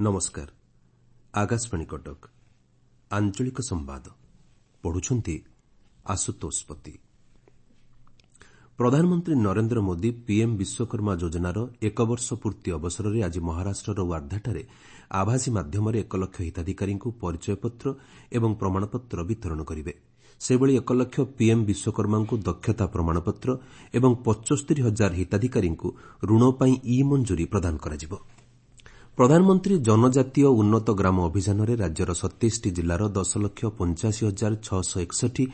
ନମସ୍କାର, ଆକାଶବାଣୀ କଟକ। ଆଞ୍ଚଳିକ ସମ୍ବାଦ ପଢୁଛନ୍ତି ଆଶୁତୋଷ ପତି। ପ୍ରଧାନମନ୍ତ୍ରୀ ନରେନ୍ଦ୍ର ମୋଦି ପିଏମ୍ ବିଶ୍ୱକର୍ମା ଯୋଜନାର ଏକ ବର୍ଷ ପୂର୍ତ୍ତି ଅବସରରେ ଆଜି ମହାରାଷ୍ଟ୍ରର ୱାର୍ଦ୍ଧାଠାରେ ଆଭାସୀ ମାଧ୍ୟମରେ 1 ଲକ୍ଷ ହିତାଧିକାରୀଙ୍କୁ ପରିଚୟପତ୍ର ଏବଂ ପ୍ରମାଣପତ୍ର ବିତରଣ କରିବେ। ସେହିଭଳି 1 ଲକ୍ଷ ପିଏମ୍ ବିଶ୍ୱକର୍ମାଙ୍କୁ ଦକ୍ଷତା ପ୍ରମାଣପତ୍ର ଏବଂ 75 ହଜାର ହିତାଧିକାରୀଙ୍କୁ ଋଣ ପାଇଁ ଇ ମଞ୍ଜୁରୀ ପ୍ରଦାନ କରାଯିବ। ପ୍ରଧାନମନ୍ତ୍ରୀ ଜନଜାତୀୟ ଉନ୍ନତ ଗ୍ରାମ ଅଭିଯାନରେ ରାଜ୍ୟର 27ଟି ଜିଲ୍ଲାର 10 ଲକ୍ଷ 85 ହଜାର 661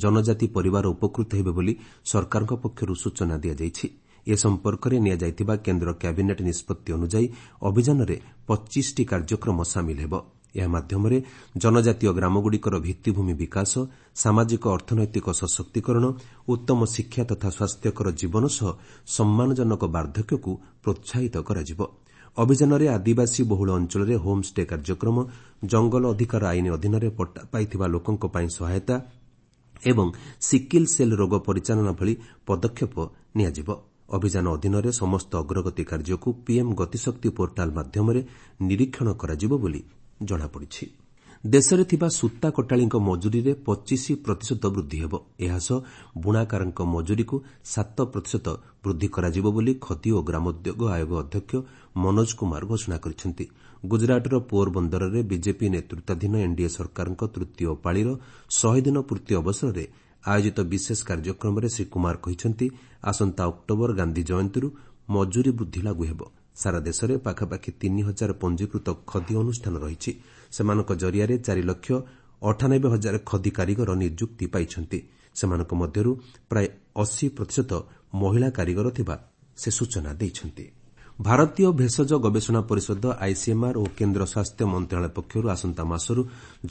ଜନଜାତି ପରିବାର ଉପକୃତ ହେବେ ବୋଲି ସରକାରଙ୍କ ପକ୍ଷରୁ ସୂଚନା ଦିଆଯାଇଛି। ଏ ସମ୍ପର୍କରେ ନିଆଯାଇଥିବା କେନ୍ଦ୍ର କ୍ୟାବିନେଟ୍ ନିଷ୍ପତ୍ତି ଅନୁଯାୟୀ ଅଭିଯାନରେ 25ଟି କାର୍ଯ୍ୟକ୍ରମ ସାମିଲ ହେବ। ଏହା ମାଧ୍ୟମରେ ଜନଜାତୀୟ ଗ୍ରାମଗୁଡ଼ିକର ଭିତ୍ତିଭୂମି ବିକାଶ, ସାମାଜିକ ଅର୍ଥନୈତିକ ସଶକ୍ତିକରଣ, ଉତ୍ତମ ଶିକ୍ଷା ତଥା ସ୍ୱାସ୍ଥ୍ୟକର ଜୀବନ ସହ ସମ୍ମାନଜନକ ବାର୍ଦ୍ଧକ୍ୟକୁ ପ୍ରୋତ୍ସାହିତ କରାଯିବ। ଅଭିଯାନରେ ଆଦିବାସୀ ବହୁଳ ଅଞ୍ଚଳରେ ହୋମ୍ଷ୍ଟେ କାର୍ଯ୍ୟକ୍ରମ, ଜଙ୍ଗଲ ଅଧିକାର ଆଇନ ଅଧୀନରେ ପଟ୍ଟା ପାଇଥିବା ଲୋକଙ୍କ ପାଇଁ ସହାୟତା ଏବଂ ସିକିଲ୍ ସେଲ୍ ରୋଗ ପରିଚାଳନା ଭଳି ପଦକ୍ଷେପ ନିଆଯିବ। ଅଭିଯାନ ଅଧୀନରେ ସମସ୍ତ ଅଗ୍ରଗତି କାର୍ଯ୍ୟକୁ ପିଏମ୍ ଗତିଶକ୍ତି ପୋର୍ଟାଲ୍ ମାଧ୍ୟମରେ ନିରୀକ୍ଷଣ କରାଯିବ ବୋଲି ଜଣାପଡ଼ିଛି। ଦେଶରେ ଥିବା ସୂତା କଟାଳିଙ୍କ ମଜୁରୀରେ 25 ପ୍ରତିଶତ ବୃଦ୍ଧି ହେବ। ଏହାସହ ବୁଣାକାରଙ୍କ ମଜୁରୀକୁ 7 ପ୍ରତିଶତ ବୃଦ୍ଧି କରାଯିବ ବୋଲି ଖଦି ଓ ଗ୍ରାମୋଦ୍ୟୋଗ ଆୟୋଗ ଅଧ୍ୟକ୍ଷ ମନୋଜ କୁମାର ଘୋଷଣା କରିଛନ୍ତି। ଗୁଜରାଟର ପୋରବନ୍ଦରରେ ବିଜେପି ନେତୃତ୍ୱାଧୀନ ଏନ୍ଡିଏ ସରକାରଙ୍କ ତୃତୀୟ ପାଳିର 100 ଦିନ ପୂର୍ତ୍ତି ଅବସରରେ ଆୟୋଜିତ ବିଶେଷ କାର୍ଯ୍ୟକ୍ରମରେ ଶ୍ରୀ କୁମାର କହିଛନ୍ତି, ଆସନ୍ତା ଅକ୍ଟୋବର ଗାନ୍ଧି ଜୟନ୍ତୀରୁ ମଜୁରୀ ବୃଦ୍ଧି ଲାଗୁ ହେବ। ସାରା ଦେଶରେ ପାଖାପାଖି 3 ହଜାର ପଞ୍ଜୀକୃତ ଖଦି ଅନୁଷ୍ଠାନ ରହିଛି। ସେମାନଙ୍କ ଜରିଆରେ 4 ଲକ୍ଷ 98 ହଜାର ଖଦି କାରିଗର ନିଯୁକ୍ତି ପାଇଛନ୍ତି। ସେମାନଙ୍କ ମଧ୍ୟରୁ ପ୍ରାୟ 80 ପ୍ରତିଶତ ମହିଳା କାରିଗର ଥିବା ସେ ସୂଚନା ଦେଇଛନ୍ତି। ଭାରତୀୟ ଭେଷଜ ଗବେଷଣା ପରିଷଦ ଆଇସିଏମ୍ଆର୍ ଓ କେନ୍ଦ୍ର ସ୍ୱାସ୍ଥ୍ୟ ମନ୍ତ୍ରଣାଳୟ ପକ୍ଷରୁ ଆସନ୍ତା ମାସରୁ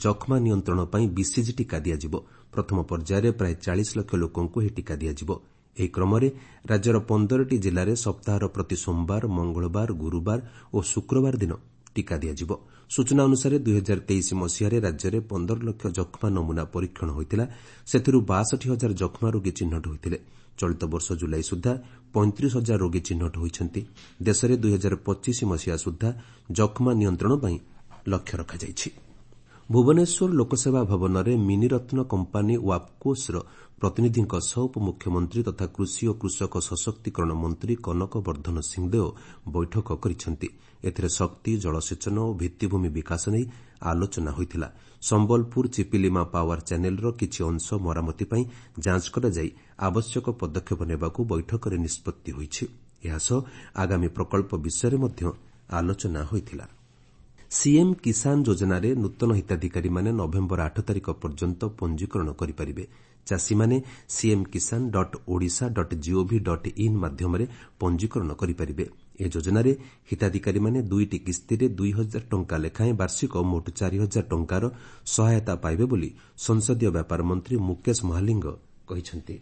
ଯକ୍ଷ୍ମା ନିୟନ୍ତ୍ରଣ ପାଇଁ ବିସିଜି ଟିକା ଦିଆଯିବ। ପ୍ରଥମ ପର୍ଯ୍ୟାୟରେ ପ୍ରାୟ 40 ଲକ୍ଷ ଲୋକଙ୍କୁ ଏହି ଟିକା ଦିଆଯିବ। ଏହି କ୍ରମରେ ରାଜ୍ୟର 15ଟି ଜିଲ୍ଲାରେ ସପ୍ତାହର ପ୍ରତି ସୋମବାର, ମଙ୍ଗଳବାର, ଗୁରୁବାର ଓ ଶୁକ୍ରବାର ଦିନ ଟିକା ଦିଆଯିବ। ସୂଚନା ଅନୁସାରେ 2023 ମସିହାରେ ରାଜ୍ୟରେ 15 ଲକ୍ଷ ଯକ୍ଷ୍ମା ନମୁନା ପରୀକ୍ଷଣ ହୋଇଥିଲା। ସେଥିରୁ 62 ହଜାର ଯକ୍ଷ୍ମା ରୋଗୀ ଚିହ୍ନଟ ହୋଇଥିଲେ। ଚଳିତ ବର୍ଷ ଜୁଲାଇ ସୁଦ୍ଧା 35 ହଜାର ରୋଗୀ ଚିହ୍ନଟ ହୋଇଛନ୍ତି। ଦେଶରେ 2025 ମସିହା ସୁଦ୍ଧା ଯକ୍ଷ୍ମା ନିୟନ୍ତ୍ରଣ ପାଇଁ ଲକ୍ଷ୍ୟ ରଖାଯାଇଛି। ଭୁବନେଶ୍ୱର ଲୋକସେବା ଭବନରେ ମିନିରତ୍ନ କମ୍ପାନୀ ୱାପ୍କୋସ୍ର ପ୍ରତିନିଧିଙ୍କ ସହ ଉପମୁଖ୍ୟମନ୍ତ୍ରୀ ତଥା କୃଷି ଓ କୃଷକ ସଶକ୍ତିକରଣ ମନ୍ତ୍ରୀ କନକ ବର୍ଦ୍ଧନ ସିଂଦେଓ ବୈଠକ କରିଛନ୍ତି। ଏଥିରେ ଶକ୍ତି, ଜଳସେଚନ ଓ ଭିତ୍ତିଭୂମି ବିକାଶ ନେଇ ଆଲୋଚନା ହୋଇଥିଲା। ସମ୍ବଲପୁର ଚିପିଲିମା ପାୱାର ଚ୍ୟାନେଲର କିଛି ଅଂଶ ମରାମତି ପାଇଁ ଯାଞ୍ଚ କରାଯାଇ ଆବଶ୍ୟକ ପଦକ୍ଷେପ ନେବାକୁ ବୈଠକରେ ନିଷ୍ପତ୍ତି ହୋଇଛି। ଏହାସହ ଆଗାମୀ ପ୍ରକଳ୍ପ ବିଷୟରେ ମଧ୍ୟ ଆଲୋଚନା ହୋଇଥିଲା। ସିଏମ୍ କିଷାନ ଯୋଜନାରେ ନୂତନ ହିତାଧିକାରୀମାନେ ନଭେମ୍ବର 8 ତାରିଖ ପର୍ଯ୍ୟନ୍ତ ପଞ୍ଜୀକରଣ କରିପାରିବେ। ଚାଷୀମାନେ CM Kisan dot Odisha dot gov dot in ମାଧ୍ୟମରେ ପଞ୍ଜୀକରଣ କରିପାରିବେ। ଏ ଯୋଜନାରେ ହିତାଧିକାରୀମାନେ ଦୁଇଟି କିସ୍ତିରେ 2 ହଜାର ଟଙ୍କା ଲେଖାଏଁ ବାର୍ଷିକ ମୋଟ 4 ହଜାର ଟଙ୍କାର ସହାୟତା ପାଇବେ ବୋଲି ସଂସଦୀୟ ବ୍ୟାପାର ମନ୍ତ୍ରୀ ମୁକେଶ ମହାଲିଙ୍ଗ କହିଛନ୍ତି।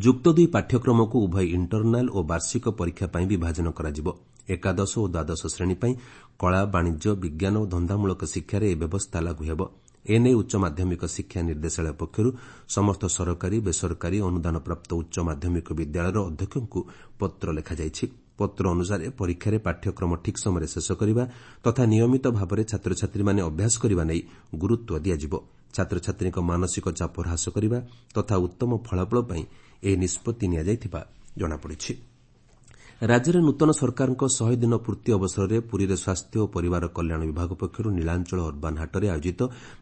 ଯୁକ୍ତ ଦୁଇ ପାଠ୍ୟକ୍ରମକୁ ଉଭୟ ଇଣ୍ଟରନାଲ୍ ଓ ବାର୍ଷିକ ପରୀକ୍ଷା ପାଇଁ ବିଭାଜନ କରାଯିବ। ଏକାଦଶ ଓ ଦ୍ୱାଦଶ ଶ୍ରେଣୀ ପାଇଁ କଳା, ବାଣିଜ୍ୟ, ବିଜ୍ଞାନ ଓ ଧନ୍ଦାମୂଳକ ଶିକ୍ଷାରେ ଏହି ବ୍ୟବସ୍ଥା ଲାଗୁ ହେବ। ଏନେଇ ଉଚ୍ଚ ମାଧ୍ୟମିକ ଶିକ୍ଷା ନିର୍ଦ୍ଦେଶାଳୟ ପକ୍ଷରୁ ସମସ୍ତ ସରକାରୀ, ବେସରକାରୀ, ଅନୁଦାନପ୍ରାପ୍ତ ଉଚ୍ଚ ମାଧ୍ୟମିକ ବିଦ୍ୟାଳୟର ଅଧ୍ୟକ୍ଷଙ୍କୁ ପତ୍ର ଲେଖାଯାଇଛି। ପତ୍ର ଅନୁସାରେ ପରୀକ୍ଷାରେ ପାଠ୍ୟକ୍ରମ ଠିକ୍ ସମୟରେ ଶେଷ କରିବା ତଥା ନିୟମିତ ଭାବରେ ଛାତ୍ରଛାତ୍ରୀମାନେ ଅଭ୍ୟାସ କରିବା ନେଇ ଗୁରୁତ୍ୱ ଦିଆଯିବ। ଛାତ୍ରଛାତ୍ରୀଙ୍କ ମାନସିକ ଚାପ ହ୍ରାସ କରିବା ତଥା ଉତ୍ତମ ଫଳାଫଳ ପାଇଁ ଏହି ନିଷ୍ପତ୍ତି ନିଆଯାଇଥିବା ଜଣାପଡ଼ିଛି। ରାଜ୍ୟରେ ନୂତନ ସରକାରଙ୍କ 100 ଦିନ ପୂର୍ତ୍ତି ଅବସରରେ ପୁରୀରେ ସ୍ୱାସ୍ଥ୍ୟ ଓ ପରିବାର କଲ୍ୟାଣ ବିଭାଗ ପକ୍ଷରୁ ନୀଳାଞ୍ଚଳ ଅର୍ବାନ୍ ହାଟରେ ଆୟୋଜିତ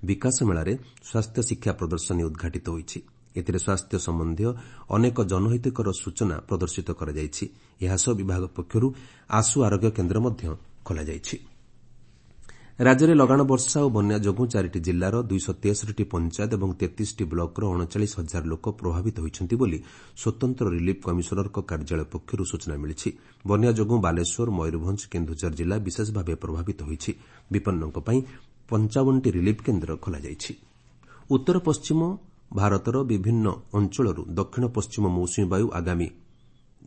ବିକାଶ ମେଳାରେ ସ୍ୱାସ୍ଥ୍ୟ ଶିକ୍ଷା ପ୍ରଦର୍ଶନୀ ଉଦ୍ଘାଟିତ ହୋଇଛି। ଏଥିରେ ସ୍ୱାସ୍ଥ୍ୟ ସମ୍ବନ୍ଧୀୟ ଅନେକ ଜନହିତକର ସୂଚନା ପ୍ରଦର୍ଶିତ କରାଯାଇଛି। ଏହାସହ ବିଭାଗ ପକ୍ଷରୁ ଆଶୁ ଆରୋଗ୍ୟ କେନ୍ଦ୍ର ମଧ୍ୟ ଖୋଲାଯାଇଛି। ରାଜ୍ୟରେ ଲଗାଣ ବର୍ଷା ଓ ବନ୍ୟା ଯୋଗୁଁ ଚାରିଟି ଜିଲ୍ଲାର 263ଟି ପଞ୍ଚାୟତ ଏବଂ 33ଟି ବ୍ଲକର 39 ହଜାର ଲୋକ ପ୍ରଭାବିତ ହୋଇଛନ୍ତି ବୋଲି ସ୍ୱତନ୍ତ୍ର ରିଲିଫ୍ କମିଶନରଙ୍କ କାର୍ଯ୍ୟାଳୟ ପକ୍ଷରୁ ସୂଚନା ମିଳିଛି। ବନ୍ୟା ଯୋଗୁଁ ବାଲେଶ୍ୱର, ମୟୂରଭଞ୍ଜ, କେନ୍ଦୁଝର ଜିଲ୍ଲା ବିଶେଷ ଭାବେ ପ୍ରଭାବିତ ହୋଇଛି। ବିପନ୍ନଙ୍କ ପାଇଁ 55ଟି ରିଲିଫ୍ କେନ୍ଦ୍ର ଖୋଲାଯାଇଛି। ଉତ୍ତର ପଶ୍ଚିମ ଭାରତର ବିଭିନ୍ନ ଅଞ୍ଚଳରୁ ଦକ୍ଷିଣ ପଶ୍ଚିମ ମୌସୁମୀ ବାୟୁ ଆଗାମୀ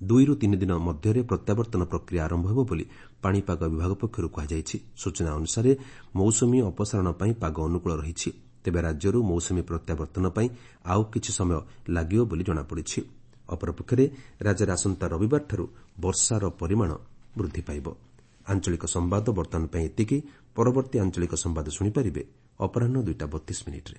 2ରୁ 3 ଦିନ ମଧ୍ୟରେ ପ୍ରତ୍ୟାବର୍ତ୍ତନ ପ୍ରକ୍ରିୟା ଆରମ୍ଭ ହେବ ବୋଲି ପାଣିପାଗ ବିଭାଗ ପକ୍ଷରୁ କୁହାଯାଇଛି। ସୂଚନା ଅନୁସାରେ ମୌସୁମୀ ଅପସାରଣ ପାଇଁ ପାଗ ଅନୁକୂଳ ରହିଛି। ତେବେ ରାଜ୍ୟରୁ ମୌସୁମୀ ପ୍ରତ୍ୟାବର୍ତ୍ତନ ପାଇଁ ଆଉ କିଛି ସମୟ ଲାଗିବ ବୋଲି ଜଣାପଡ଼ିଛି। ଅପରପକ୍ଷରେ ରାଜ୍ୟରେ ଆସନ୍ତା ରବିବାରଠାରୁ ବର୍ଷାର ପରିମାଣ ବୃଦ୍ଧି ପାଇବ। ଆଞ୍ଚଳିକ ସମ୍ବାଦ ବର୍ତ୍ତମାନ ପାଇଁ ଏତିକି। ପରବର୍ତ୍ତୀ ଆଞ୍ଚଳିକ ସମ୍ବାଦ ଶୁଣିପାରିବେ ଅପରାହ୍ନ 2ଟା 32 ମିନିଟ୍ରେ।